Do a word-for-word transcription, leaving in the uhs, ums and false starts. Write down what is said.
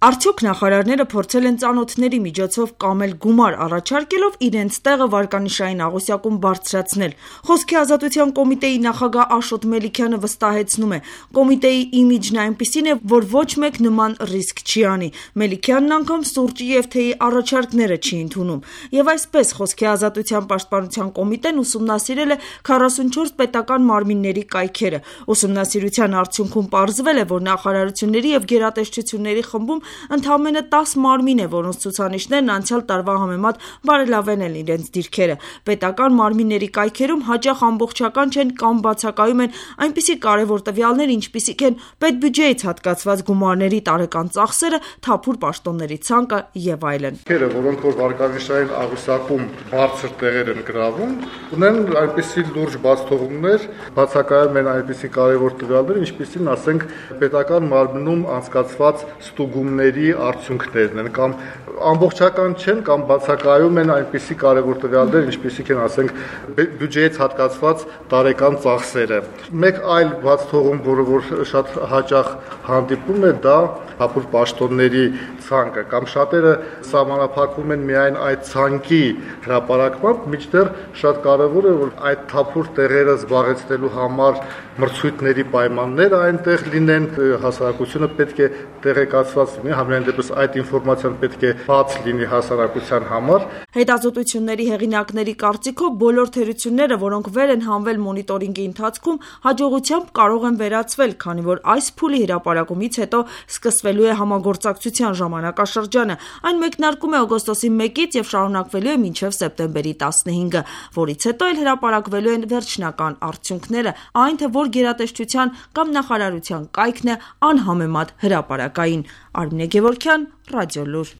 Արդյոք նախարարները փորձել են ծանոթների միջոցով կամել գումար առաջարկելով իրենց տեղը վարկանիշային աղյուսակում բարձրացնել։ Խոսքի ազատության կոմիտեի նախագահ Աշոտ Մելիքյանը վստահեցնում է, կոմիտեի իմիջն այնպիսին է, որ ոչ մեկ նման ռիսկ չի անի։ Մելիքյանն անգամ սուրճի և թեյի առաջարկները չի ընդունում։ Եվ այսպես Խոսքի ազատության պաշտպանության կոմիտեն ուսումնասիրել է քառասունչորս պետական մարմինների կայքերը։ Ուսումնասիրության արդյունքում պարզվել է, որ նախարարությունների և գերատեսչությունների խմբում ընդամենը տաս մարմին է, որոնց ցուցանիշներն անցյալ տարվա համեմատ բարելավել են իրենց դիրքերը։ Պետական մարմինների կայքերում հաճախ ամբողջական չեն կամ բացակայում են այնպիսի կարևոր տվյալներ, ինչպիսիք են պետբյուջեից հատկացված գումարների տարեկան ծախսերը, թափուր պաշտոնների ցանկը եւ այլն։ Որոնք որ վարկանիշային աղյուսակում բարձր տեղեր են գրավում, ունեն այնպիսի լուրջ բացթողումներ, բացակայում են այնպիսի կարևոր տվյալներ, ինչպիսին ասենք պետական մարմնում անցկացված ստուգումների արդյունքներն են կամ ամբողջական չեն կամ բացակայում են այնպիսի կարևոր տվյալներ, ինչպիսիք են ասենք բյուջեից հատկացված տարեկան ծախսերը։ Մեկ այլ բացթողում, որը որ շատ հաճախ հանդիպում է, դա թափուր պաշտոնների ցանկը կամ շատերը սահմանափակվում են միայն այդ ցանկի հրապարակմամբ, մինչդեռ շատ կարևոր է, որ այդ թափուր տեղերը զբաղեցնելու համար մրցույթների պայմանները այնտեղ լինեն, հասարակությունը պետք է տեղեկացված լինի, համենայն դեպս այդ ինֆորմացիան պետք է բաց լինի հասարակության համար։ Հետազոտությունների հեղինակների կարծիքով բոլոր թերությունները, որոնք վեր են հանվել մոնիտորինգի ընթացքում, հաջողությամբ կարող են վերացվել, քանի որ այս փուլի հրապարակումից հետո սկսվելու է համագործակցության ժամանակաշրջանը։ Այն մեկնարկում է օգոստոսի մեկից եւ շարունակվելու է մինչեւ սեպտեմբերի տասնհինգը, որից հետո էլ հրապարակվելու են վերջնական արդյունքները, այն թե որ գերատեսչության կամ նախարարության կայքն է անհամեմատ հրապարակային։ Արմինե Գևորգյան, Ռադիոլուր։